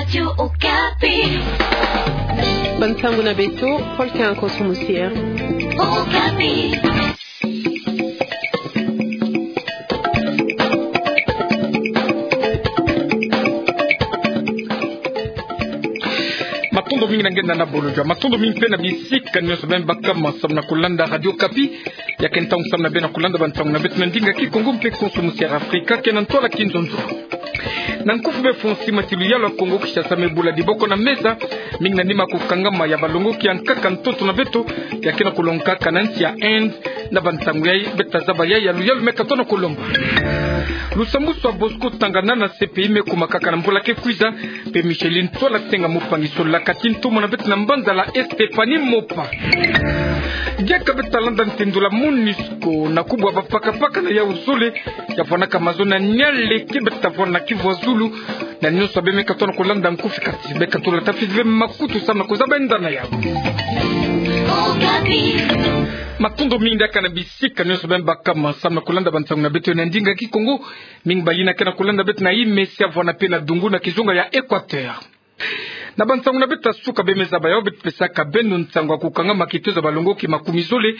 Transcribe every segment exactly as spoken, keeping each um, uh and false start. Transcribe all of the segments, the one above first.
Radio Okapi. Bansangu na beto, Paul Kanko Sumusia. Okapi. Matondo mingi na nge na bolojwa. Matondo mingi mpe na bisika nyonso beno bakama samu na kulanda Radio Okapi. Ya ke ntangu samu na beno kulanda bansangu na beto na ndinga Kikongo mpe Kikongo Sumusia Afrika, ke na ntwala Kinzonzo. Na nkufi befo nsima ti luyalu ya Kongo Kinshasa me bula diboko na meza, mingi na nima kukangama ya balongoki ya nkaka ntoto na beto, ya ke na kulongaka na nsi ya Inde, na bantangu yai, beto ta zaba yai ya luyalu me katono kulomba. Lusambwasu ya Bosco Ntaganda na C P I me kumakaka na mbula ke kwiza, mpe Micheline Tswala Tsenga Mopangi solaka ti ntumwa na beto na mbanza la Stéphanie Mopa. Diaka beto ta landa ntendula MONUSCO na kubwa bapakapaka na yau zole, ya vwanaka mazono ya Niari, ke beto ta vwana kivwa zulu, na nyonso ya beno me katono kulanda nkufi kati, beno katono tafiti ve makutu samu na kuzaba enda na yau. Matondo mingi diaka na bisika nyonso beno bakama samu na kulanda bansangu na beto na ndinga Kikongo, mingi bayina ke na kulanda beto na Imisi ya vwana mpe na Dungu na kizunga ya Équateur. Na bansangu na beto ya suka beno me zaba yau, beto pesaka beno nsangu ya kukangama kitezo ya balongoki makumi zole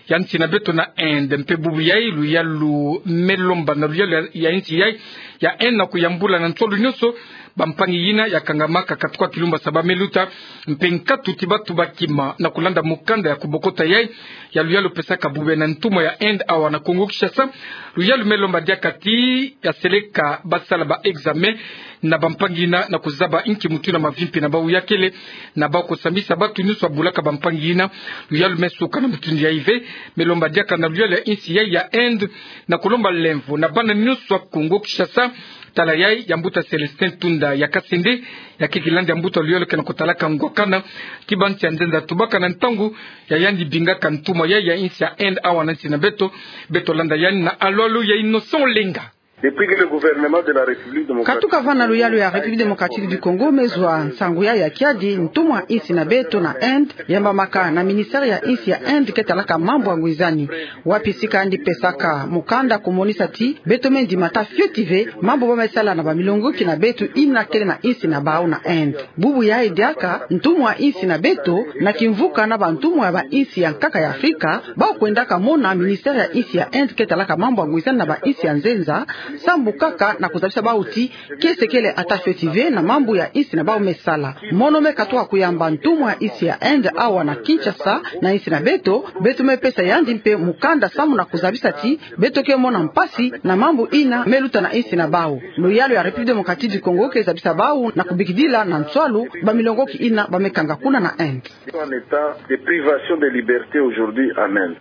ya nsi na beto na Inde. Mpe bubu yai luyalu me lomba na luyalu ya, ya nsi yai ya Inde na kuyambula na nswalu nyonso bampangi yina ya kangamaka katuka kilumbu ya saba me luta, mpe nkatu ti batu bakima na kulanda mukanda ya kubokota yai ya luyalu pesaka bubu yai na ntumwa ya Inde awa na Kongo Kinshasa. Luyalu me lomba diaka ti ya seleka basala ba examen na bampangi yina na kuzaba inki mutindu na mavimpi na bau ya kele, na bau kusambisa batu nyonso ya bulaka bampangi yina. Luyalu me suka na mutindu yai ve, me lomba diaka na luyalu ya nsi yai ya Inde na kulomba lemvo na bana nyonso ya Kongo Kinshasa. Tala yai ya mbuta Célestin Tunda ya Kasende, ya ke kilandi ya mbuta luyalu ke na kutalaka ngwakana ti bansi ya nzenza tubaka na ntangu ya yandi bingaka ntumwa yai ya nsi ya Inde awa na nsi na beto. Beto landa yandi na alo-alo ya Innocent Olenga. Depuis que le gouvernement de la République démocratique Katuka vana luyalu ya République démocratique du Congo me zwa nsangu yai ya kiadi, ntumwa nsi na beto na Inde yambamaka na ministère ya nsi ya Inde ke talaka mambu ya ngwizani, wapi sika yandi pesaka mukanda kumonisa ti beto me ndima ata fioti ve mambu ba me sala na bamilongoki na beto yina kele na nsi na bau na Inde. Bubu yai diaka ntumwa nsi na beto na kimvuka na bantumwa ya bansi ya nkaka ya Afrika, bau kwendaka mona ministère ya nsi ya Inde ke talaka mambu ya ngwizani na bansi ya nzenza, sambu kaka na kuzabisa bau ti kiese kele ata fioti ve na mambu ya nsi na bau me sala. Mono me katuka kuyamba ntumwa ya nsi ya Inde awa na Kinshasa na nsi na beto, beto me pesa yandi mpe mukanda samu na kuzabisa ti beto ke mona mpasi na mambu yina me luta na nsi na bau. Luyalu ya République démocratique du Congo ke zabisa bau na kubikidila na nswalu bamilongoki yina ba me kanga kuna na Inde. En état de privation de liberté aujourd'hui en Inde.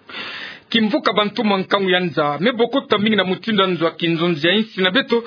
Kimvuka bantumwa nkangu ya nza me bokota mingi na mutindu ya nzo ya kinzonzi ya nsi na beto,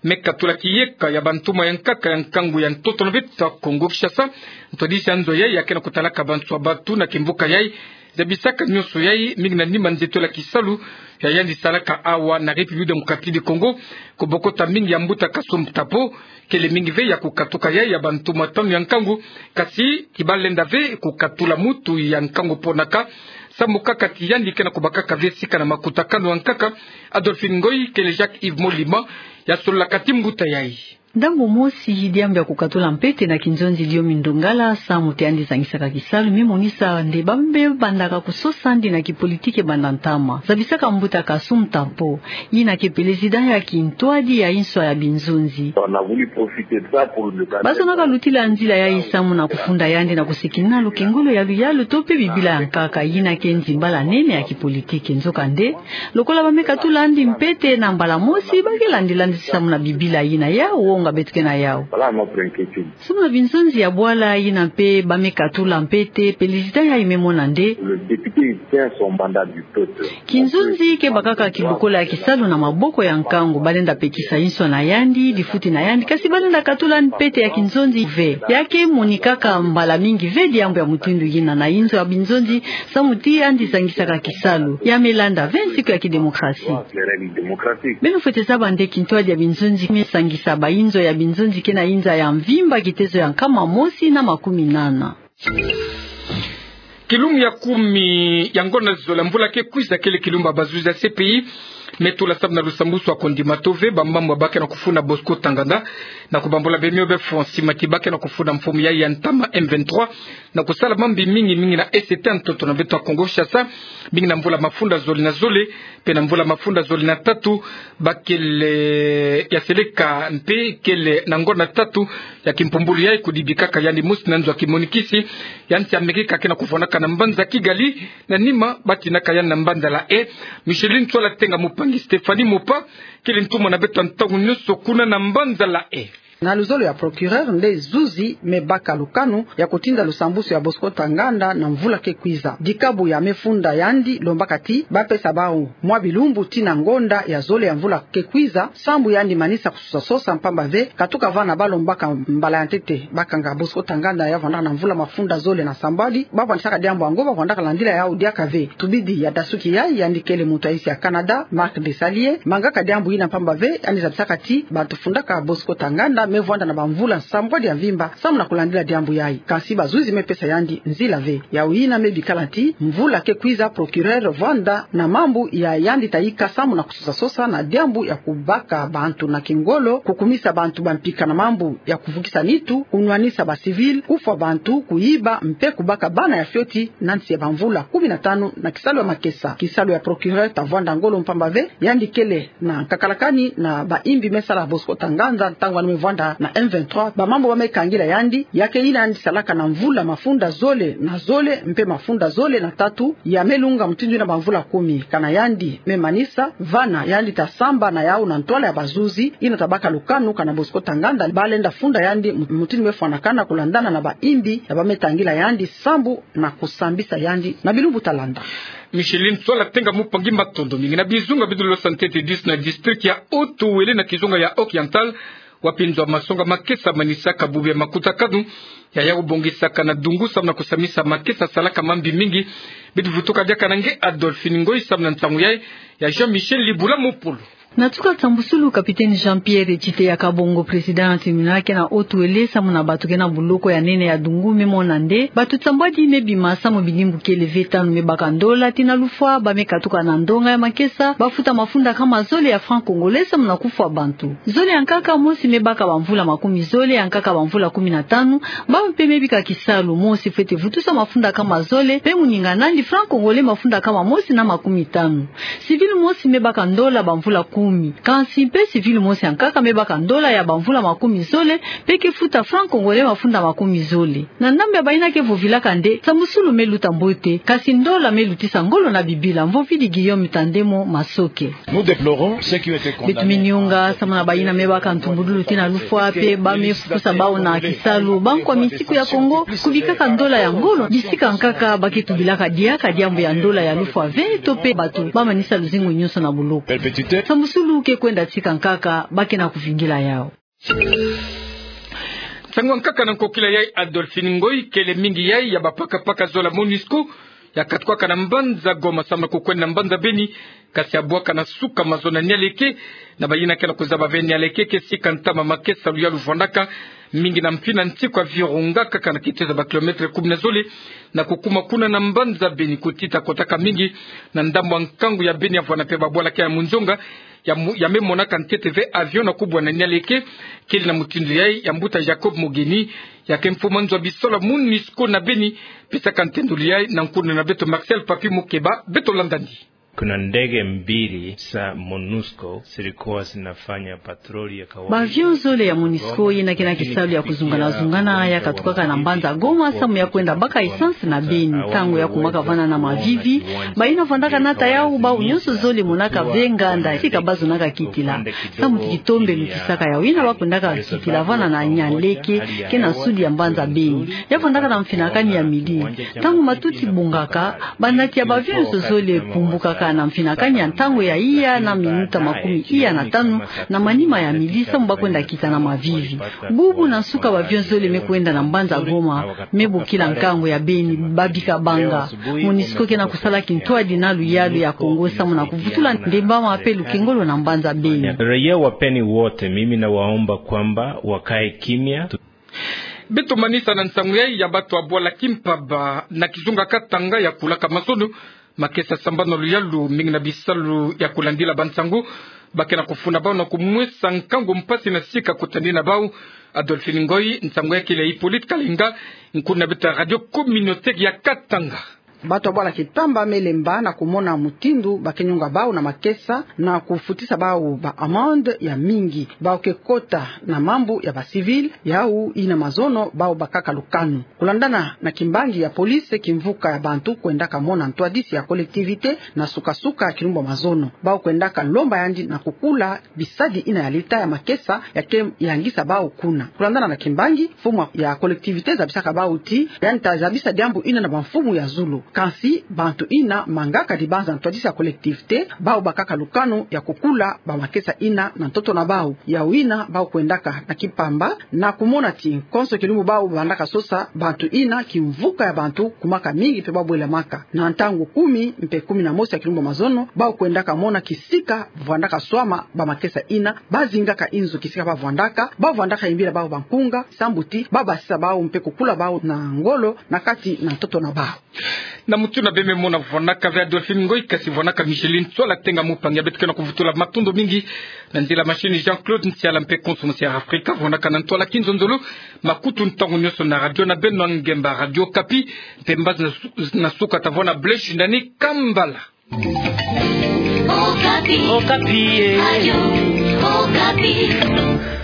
me katula kiyeka ya bantumwa ya nkaka ya nkangu ya ntoto na beto ya Kongo Kinshasa. Ntwadisi ya nzo yai ya ke na kutalaka banswa batu na kimvuka yai zabisaka nyonso yai mingi na nima nzetolo ya kisalu ya yandi salaka awa na République démocratique du Congo, kubokota mingi ya mbuta Kasum Tapo. Kele mingi ve ya kukatuka yai ya bantumwa tanu ya nkangu, kasi ki balenda ve kukatula mutu ya nkangu ponaka, samu kaka ti yandi ke na kubakaka ve sika na makutakanu ya nkaka. Adolphine Ngoy, kele Jacques Yves Molima ya sololaka ti mbuta yai. Ntangu mosi, diambu ya kukatula mpete na kinzonzi Diomi Ndongala, samu ti yandi zangisaka kisalu, me monisa nde ba me bandaka kusosa yandi na kipolitike banda ntama. Zabisaka mbuta Kasum Tapo, yina ke président ya kintwadi ya inswa ya binzonzi. On a voulu profiter de ça pour le Bazonaka lutila nzila yai samu na kufunda yandi na kusikina lukengolo ya luyalu to mpe bibila ya nkaka, yina ke nzimbala nene ya kipolitike. Nzokande, lokola ba me katula yandi mpete na mbala mosi, ba ke landila yandi samu na bibila yina ya wonga beto ke na yau. Voilà notre inquiétude. Samu na binzonzi ya bwala yina mpe ba me katula mpete, président yai me mona nde. Le député, il tient son mandat du peuple. Kinzonzi ke bakaka kibukola ya kisalu na maboko ya nkangu, balenda pekisa inswa na yandi, difuti na yandi, kasi balenda katula yandi mpete ya kinzonzi ve. Ya ke monikaka mbala mingi ve diambu ya mutindu yina na inzo ya binzonzi, samu ti yandi zangisaka kisalu. Ya me landa ve nsiku ya kidemokrasi. Les règles démocratiques. Beno fwete zaba nde kintwadi ya binzonzi me sangisa bainzo ya binzonzi ke na inza ya mvimba kitezo ya nkama mosi na makumi nana. Kilumbu ya kumi ya ngonda zole ya mvula ke kwiza, kele kilumbu ya bazuzi ya C P I me tula samu na lusambwasu ya kondima to ve bamambu ba ke na kufunda Bosco Ntaganda, Na kubambula bemio befo, nsima ti ba ke na kufunda mfumu yayi ya ntama M vingt-trois, na kusala mambi mingi mingi na Est ya ntoto na beto ya Kongo Kinshasa, mingi na mvula mafunda zole na zole, mpe na mvula mafunda zole na tatu, ba kele ya seleka mpe kele na ngonda tatu ya kimpumbulu yayi, kudibikaka yandi mosi na nzo ya kimonikisi ya nsi Amerika ke na kuvwandaka na mbanza Kigali, na nima ba tinaka yandi na mbanza La Haye. Micheline Ntsoala Tenga Mupangi, Stéphanie Mopa, kele ntumwa na beto ya ntangu nyonso kuna na mbanza La Haye. Na luzolo ya procureur nde zuzi me baka lukanu ya kutinda lusambusu ya Bosco Ntaganda na mvula ke kwiza. Dikabu ya me funda yandi lombaka ti ba pesa bawu mwa bilumbu tii na ngonda ya zole ya mvula ke kwiza, sambu yandi manisa kususa sosa, mpamba ve katuka vana ba lombaka mbala ya ntete ba kanga Bosco Ntaganda ya vwandaka na mvula mafunda zole na sambwadi. Ba vwandisaka diambu yango ba vwandaka landila yawu diaka ve. Tubidi ya dasuki yayi, yandi kele muntu ya insi ya Canada, Marc Desailly, mangaka diambu yina, mpamba ve yandi zabisaka ti bantu fundaka Bosco Ntaganda me vwanda na bamvula sambwadi ya mvimba samu na kulandila diambu yayi. Kansi bazuzi me pesa yandi nzila ve. Yawu yina me bikala ti mvula ke kwiza procureur vwanda na mambu ya yandi ta yika samu na kususa sosa na diambu ya kubaka bantu na kingolo, kukumisa bantu bampika na mambu ya kuvukisa nitu, kunwanisa ba civil, kufwa bantu, kuyiba, mpe kubaka bana ya fioti na nsi ya bamvula kumi na tanu na kisalu ya makesa. Kisalu ya procureur ta vwanda ngolo, mpamba ve yandi kele na nkakalakani na bayimbi me sala Bosco Ntaganda ntangu yandi me vwanda na M vingt-trois. Bamambu ba me kangila yandi ya ke yina yandi salaka na mvula mafunda zole na zole mpe mafunda zole na tatu, ya me lunga mutindu yina bamvula kumi. Kana yandi me manisa, vana yandi ta samba na yawu na ntwala ya bazuzi yina ta baka lukanu kana Bosco Ntaganda ba lenda funda yandi mutindu me fwanakana kulandana na bayimbi ya ba me tangila yandi sambu na kusambisa yandi na bilumbu ta landa. Micheline Ntsoala Tenga Mupangi, matondo mingi. Na bizunga bidulo sa ntete dix na district ya Haut-Uélé na kizunga ya Oriental, wapi nzo ya masonga makesa manisaka bubu ya makutakanu ya ya kubongisaka na dungu samu na kusamisa makesa salaka mambi mingi. Bitu vutuka diaka na nge Adolphine Ngoyi samu na nsangu yayi ya Jean-Michel Libula Mopolo. Na tuka nsambusulu, capitaine Jean-Pierre Tshiteya Kabongo, président ya tribunal ke na Haut-Uélé, samu na bato ke na buloko ya nene ya dungu, me mona nde bato sambwadi me bima samu bidimbu kele ve tanu me baka ndola tii na lufwa, ba me katuka na ndonga ya makesa, ba futa mafunda kama zole ya francs congolais samu na kufwa bantu. Zole ya nkaka mosi me baka bamvula makumi zole, ya nkaka bamvula kumi na tanu, bawu mpe me bika kisalu mosi fwete vutusa mafunda kama zole, mpe moninga nandi francs congolais mafunda kama mosi na makumi tanu. Civil mosi me baka ndola bamvula kumi. Kansi mpe civil mosi ya nkaka me baka ndola ya bamvula makumi zole, mpe ke futa francs congolais mafunda makumi zole. Na ndambu ya bayina ke vovilaka nde nsambusulu me luta mbote, kasi ndola me lutisa ngolo na bibila. Mvovidi Guillaume Tandemo Masoke. Beto me nionga samu na bayina me baka ntumbudulu tii na lufwa, mpe ba me fukusa bawu na kisalu. Bankwa misiku ya Kongo, kubikaka ndola ya ngolo, bisika nkaka ba ke tubilaka diaka diambu ya ndola ya lufwa ve, to mpe bato ba manisa luzingu nyonso na buloko. Nsambusulu ke kwenda tika nkaka, ba ke na kuvingila yawu. Nsangu ya nkaka na nkokila yayi Adolphine Ngoyi. Kele mingi yayi ya bapakapaka zola MONUSCO ya katukwaka na mbanza Goma samu na kukwenda na mbanza Beni, kasi ya bwaka na suka mazono ya Nialeke. Na bayina ke na kuzaba ve Nialeke ke sika ntama makesa luyalu vwandaka, mingi na mfina nsiku ya Virunga, kaka na kitezo ya ba kilomètre kumi na zole na kukuma kuna na mbanza Beni. Kutita kotaka mingi na ndambu ya nkangu ya Beni, ya vwanda mpe babwala ke ya munzonga ya mu-, ya me monaka ntete ve avion na kubwa na Nialeke. Kele na mutindu yayi ya mbuta Jacob Mogeni, ya ke mfumu nzo ya bisalu ya MONUSCO na Beni, pesaka ntendolo yayi na nkuna na beto Marcel Papi Mukeba. Beto landani. Kuna ndege mbili za MONUSCO zilikuwa zinafanya patroli ya kawaida. Ba avion zole ya MONUSCO yina ke na kisalu ya kuzungana-zungana ya katukaka na mbanza Goma samu ya kwenda baka essence na Beni. Ntangu ya kumaka vana na mavivi, bayina vwandaka nata yawu, bawu nyonso zole monaka ve nganda sika ba zonaka kitila. Samu ti kitombe lutisaka yawu, yina ba kwendaka kitila vana na Nialeke, ke na sud ya mbanza Beni. Ya vwandaka na mfinakani ya midi. Ntangu matuti bongaka, banati ya ba avion nyonso zole pumbukaka na mfinakani ya ntangu ya iya na minuta makumi iya na tanu na manima ya midi, samu ba kwenda kita na mavivi. Bubu na nsuka ba avion zole me kwenda na mbanza Goma, me bokila nkangu ya Beni, ba bika banga. MONUSCO ke na kusala kintwadi na luyalu ya Kongo samu na kuvutula ndembama mpe lukengolo na mbanza Beni. Raia wa Beni wote, mimi nawaomba kwamba wakae kimya. Beto manisa na nsangu yayi ya bato ya bwala kimpaba na kizunga Katanga ya kulaka mazono, makesa sambana luyalu mingi na bisalu ya kulandila bansangu Ba ke na kufuna bau na kumwesa nkangu mpasi na sika kutani na bau. Adolphine Ngoyi, nsangu ya kele Hippolyte Kalinga, nkuna beto ya radio communautaire ya Katanga. Bato ya bwala Kitamba Melemba na kumona mutindu ba ke nyonga bau na makesa na kufutisa bau ba amende ya mingi. Bau ke kota na mambu ya ba civil, yau ina mazono bau bakaka lukanu. Kulandana na kimbangi ya police, kimvuka ya bantu kwendaka mona ntwadisi ya collectivité na suka-suka ya kilumbu ya mazono. Bau kwendaka lomba yandi na kukula bisadi ina ya leta ya makesa ya ke yangisa bau kuna. Kulandana na kimbangi, mfumu ya collectivité zabisaka bau ti yandi ta zabisa diambu ina na bamfumu ya zulu. Kansi bantu ina mangaka dibanza ntwadisi ya collectivité, bau bakaka lukanu ya kukula ba makesa ina na ntoto na bau. Yau ina bau kwendaka na Kipamba na kumona ti konso kilumbu bau vandaka sosa bantu ina, kimvuka ya bantu kumaka mingi mpe bau bwelamaka. Na ntangu kumi mpe kumi na mosi ya kilumbu ya mazono, bau kwendaka mona kisika vandaka swama ba makesa ina, ba zingaka inzo kisika ba vandaka, ba vandaka yimbila bau bankunga, sambu ti ba basisa bau mpe kukula bau na ngolo na kati na ntoto na bau. Na mutu na beme mona vwanaka ve Adolphine Ngoyi, kasi vwanaka Micheline Tsoala Tenga, mupangi ya beto ke na kuvutula matondo mingi. Na nzila machine Jean-Claude Nsiala mpe konso musi ya Afrika vwanaka na ntwala kinzonzolo. Makutu ntangu nyonso na radio na beno ya ngemba, Radio Okapi. Mpe mbazi na su-, na suka ta vwanda Blaise Shindani Kambala. Okapi. Okapi, eh. Radio Okapi.